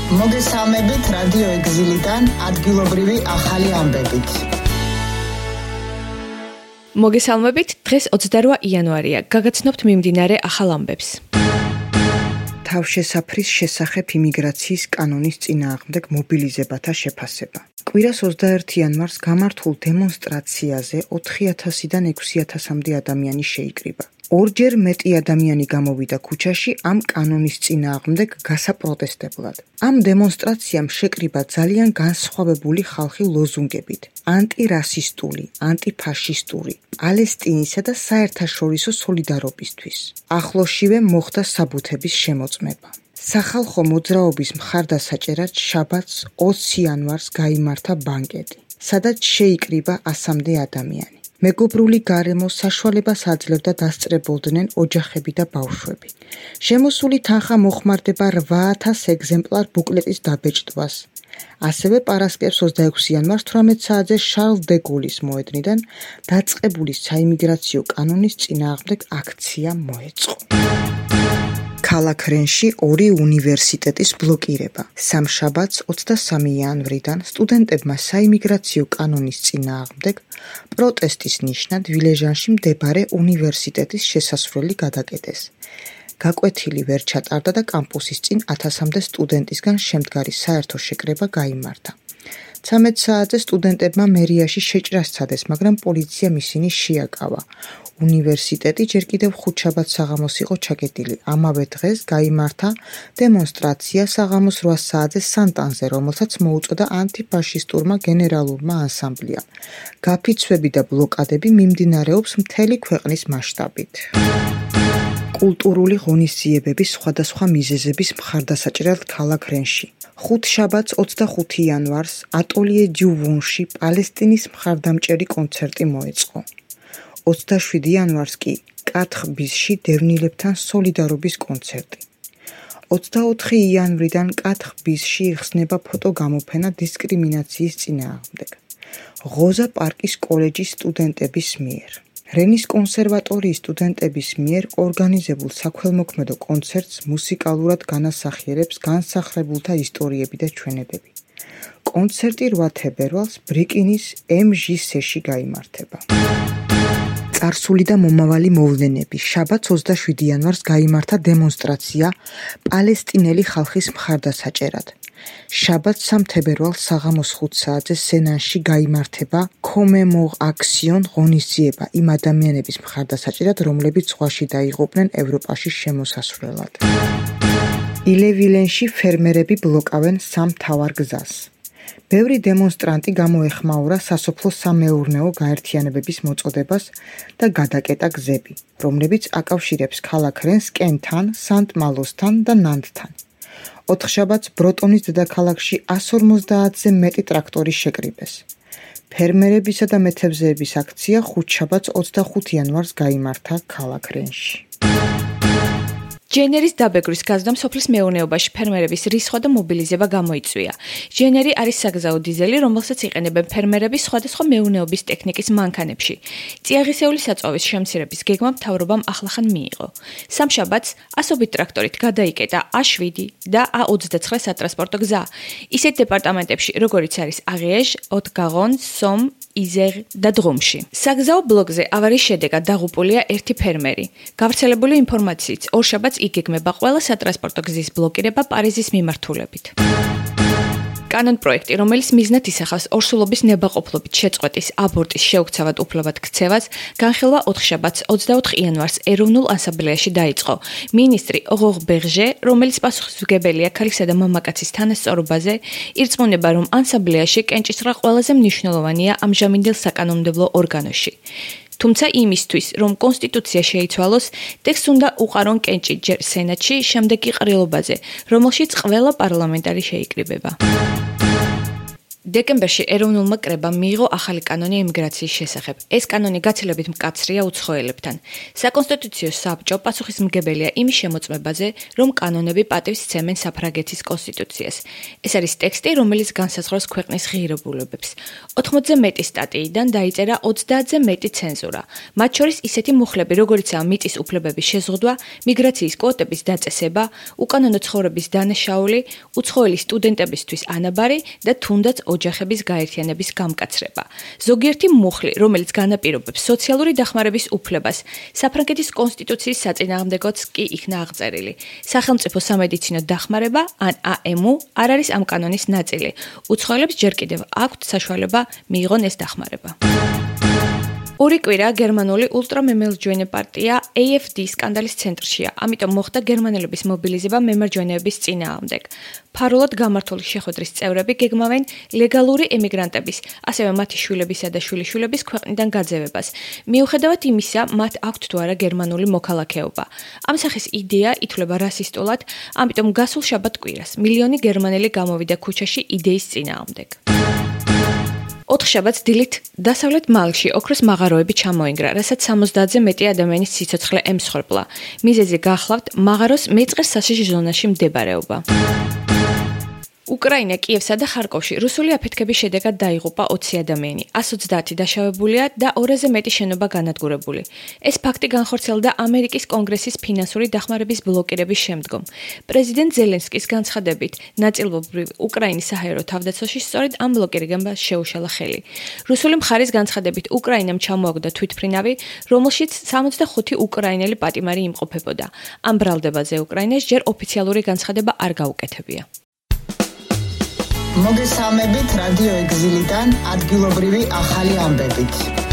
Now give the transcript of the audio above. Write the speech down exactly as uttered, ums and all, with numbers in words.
მოგესალმებით რადიო ეგზილიდან ადგილობრივი ახალი ამბებით. მოგესალმებით, დღეს ოცდაორი იანვარია. გაგაცნობთ მიმდინარე ახალ ამბებს. თავშესაფრის შესახებ იმიგრაციის კანონის წინააღმდეგ მობილიზებათა შეფასება. კვირას ოცდაერთი იანვარს გამართულ დემონსტრაციაზე ოთხი ათასიდან ექვსი ათასამდე ადამიანი შეიკრიბა. ორჯერ მეტი ადამიანი გამოვიდა ქუჩაში ამ კანონის წინააღმდეგ გასაპროტესტებლად. ამ დემონსტრაციამ შეკრიბა ძალიან განსხვავებული ხალხი ლოზუნგებით: ანტირასისტული, ანტიფაშისტური, პალესტინისა და საერთაშორისო სოლიდარობისთვის. ახლოსშივე მოხდა საბუთების შემოწმება. სახალხო მოძრაობის მხარდასაჭერად შაბათს ოცი იანვარს გაიმართა ბანკეტი, სადაც შეიკრიბა ასამდე ადამიანი. მეგობრული გარემო საშუალებას აძლევდა დასწრებოდნენ ოჯახები და ბავშვები. შემოსული თანხა მოხმარდება რვა ათას ეგზემპლარ ბუკლეტის დაბეჭდვას. ასევე პარასკევს ოცდაექვსი იანვარს თვრამეტ საათზე შარლ დე გოლის მოედნიდან დაწყებული საიმიგრაციო კანონის წინააღმდეგ აქცია მოეწყო. ქალაქ რენში ორი უნივერსიტეტის ბლოკირება. სამშაბათს ოცდასამი იანვრიდან სტუდენტებმა საიმიგრაციო კანონის წინააღმდეგ პროტესტის ნიშნად ვილეჟანში მდებარე უნივერსიტეტის შესასვლელი გადაკეტეს. გაკვეთილი ვერ ჩატარდა და კამპუსის წინ ათასამდე სტუდენტისგან შემდგარი საერთო შეკრება გაიმართა. ცამეტ საათზე სტუდენტებმა მერიაში შეჭრა სცადეს, მაგრამ პოლიციამ ისინი შეაკავა. უნივერსიტეტი ჯერ კიდევ ხუთშაბათს საღამოს იყო ჩაკეტილი. ამავე დღეს გაიმართა დემონსტრაცია საღამოს რვა საათზე სანტანზე, რომელსაც მოუწოდა ანტიფაშისტურმა გენერალურმა ანსამბლიამ. გაფიცვები და ბლოკადები მიმდინარეობს მთელი ქვეყნის მასშტაბით. კულტურული ღონისძიებების სხვადასხვა მიზეზების მხარდასაჭერად ქალაქ რენში. ხუთშაბათს ოცდახუთი იანვარს ატოლიე დიუ ვუნში პალესტინის მხარდამჭერი კონცერტი მოეწყო. ოცდაშვიდი იანვარს კი კათხ ბიზში დევნილებთან სოლიდარობის კონცერტი. ოცდაოთხი იანვრიდან კათხ ბიზში იხსნება ფოტოგამოფენა დისკრიმინაციის წინააღმდეგ. ღოზა პარკის კოლეჯის სტუდენტების მიერ. რენის კონსერვატორიის სტუდენტების მიერ ორგანიზებულ საქველმოქმედო კონცერტს მუსიკალურად განასახიერებს განსახლებულთა ისტორიები და ჩვენებები. კონცერტი რვა თებერვალს ბრიკინის ემ ჟი სეში გაიმართება. წარსული და მომავალი მოვლენები. შაბათს ოცდაშვიდი იანვარს გაიმართა დემონსტრაცია პალესტინელი ხალხის მხარდასაჭერად. შაბათს სამ თებერვალს საღამოს ხუთ საათზე სენანში გაიმართება კომემორ აქსიონ ღონისძიება იმ ადამიანების მხარდასაჭერად, რომლებიც ზღვაში დაიღუპნენ ევროპაში შემოსასვლელად. ილევილენში ფერმერები ბლოკავენ სამ მთავარ გზას. ბევრი დემონსტრანტი გამოეხმაურა სასოფლო-სამეურნეო გაერთიანებების მოწოდებას და გადაკეტა გზები, რომლებიც აკავშირებს ქალაქ რენს კენთან, სანტ-მალოსთან და ნანტთან. ოთხშაბათს ბროტონის დედაქალაქში ასს ორმოცდაათზე მეტი ტრაქტორი შეკრიბეს. ფერმერებისა და მეთევზეების აქცია ხუთშაბათს ოცდახუთი იანვარს გაიმართა ქალაქ რენში. ჯენერის დაბეგვრის გაზრდამ სოფლის მეურნეობაში ფერმერების რისხვა და მობილიზება გამოიწვია. ჯენერი არის საგზაო დიზელი, რომელსაც იყენებენ ფერმერები სხვადასხვა მეურნეობის ტექნიკის მანქანებში. წიაღისეული საწვავის შემცირების გეგმა მთავრობამ ახლახან მიიღო. სამშაბათს ასობით ტრაქტორით გადაიკეტა ა შვიდი და ა ოცდაცხრა სატრანსპორტო გზა. ისეთ დეპარტამენტებში, როგორიც არის აღიეჟ, ოტ-გაღონ, სომ, იზერ და დრუმში. საგზაო ბლოკზე ავარიის შედეგად დაღუპულია ერთი ფერმერი. გავრცელებული ინფორმაციით, ორშაბათს იგეგმება ყველა სატრანსპორტო გზის ბლოკირება პარიზის მიმართულებით. კანონპროექტი, რომელიც მიზნად ისახავს ორსულობის ნებაყოფლობით შეწყვეტის აბორტის შეუქცევად უფლებად ქცევას, განხილვა ოთხშაბათს ოცდაოთხ იანვარს ეროვნულ ასამბლეაში დაიწყო. მინისტრი ოღოღ ბერჟე, რომელიც პასუხისმგებელია ქალისა და მამაკაცის თანასწორობაზე, ირწმუნება, რომ ასამბლეაში კენჭისყრა ყველაზე მნიშვნელოვანია ამჟამინდელ საკანონმდებლო ორგანოში. თუმცა იმისთვის, რომ კონსტიტუცია შეიცვალოს, ტექსტს უნდა უყარონ კენჭი ჯერ სენატში, შემდეგ კი ყრილობაზე, რომელშიც ყველა პარლამენტარი შეიკრიბება. დეკემბერში ეროვნულმა კრებამ მიიღო ახალი კანონი ემიგრაციის შესახებ. ეს კანონი გაცილებით მკაცრია უცხოელებთან. საკონსტიტუციო საბჭო პასუხისმგებელია იმის შემოწმებაზე, რომ კანონები პატივს სცემენ საფრანგეთის კონსტიტუციას. ეს არის ტექსტი, რომელიც განსაზღვრავს ქვეყნის ღირებულებებს. ოთხმოცზე მეტი სტატიიდან დაიწერა ოცდაათზე მეტი ცენზურა. მათ შორის ისეთი მუხლები, როგორიცაა მიწის უფლებების შეზღუდვა, მიგრაციის კვოტების დაწესება, უკანონო ცხოვრების დანაშაული, უცხოელი სტუდენტებისთვის ანაბარი და თუნდაც ოჯახების გაერთიანების გამკაცრება. ზოგიერთი მუხლი, რომელიც განაპირობებს სოციალური დახმარების უფლებას, საფრანგეთის კონსტიტუციის საწინააღმდეგოც კი იქნა აღწერილი. სახელმწიფო სამედიცინო დახმარება ან ა ემ უ არ არის ამ კანონის ნაწილი. უცხოელებს ჯერ კიდევ აქვთ საშუალება მიიღონ ეს დახმარება. ორი კვირა გერმანული ულტრამემარჯვენე პარტია A F D სკანდალის ცენტრშია, ამიტომ მოხდა გერმანელების მობილიზება მემარჯვენეების წინააღმდეგ. ფარულად გამართული შეხვედრის წევრები გეგმავენ ლეგალური ემიგრანტების, ასევე მათი შვილებისა და შვილიშვილების ქვეყნიდან გაძევებას. მიუხედავად იმისა, მათ აქვთ თუ არა გერმანული მოქალაქეობა. ამ სახის იდეა ითვლება რასისტულად, ამიტომ გასულ შაბათ-კვირას მილიონი გერმანელი გამოვიდა ქუჩაში იდეის წინააღმდეგ. ოთხშაბათს დილით დასავლეთ მალში ოქროს მაღაროები ჩამოინგრა, რასაც სამოცდაათზე მეტი ადამიანის სიცოცხლე ემსხვერპლა. მიზეზი გახლავთ მაღაროს მეწყერ სასიჟ ზონაში მდებარეობა. უკრაინა, კიევსა და ხარკოვში რუსული აფეთქების შედეგად დაიღუპა ოცი ადამიანი, ას ოცდაათი დაშავებულია და ორაზე მეტი შენობა განადგურებული. ეს ფაქტი განხორციელდა ამერიკის კონგრესის ფინანსური დახმარების ბლოკირების შემდგომ. პრეზიდენტ ზელენსკის განცხადებით, ნაწილობრივ უკრაინის საჰაერო თავდაცვაში სწორედ ამ ბლოკირებამ შეუშალა ხელი. რუსული მხარის განცხადებით, უკრაინამ ჩამოაგდო თვითმფრინავი, რომელშიც სამოცდახუთი უკრაინელი პატიმარი იმყოფებოდა. ამ ბრალდებაზე უკრაინას ჯერ ოფიციალური განცხადება არ გაუკეთებია. მოგესალმებით რადიო ეგზილიდან ადგილობრივი ახალი ამბებით.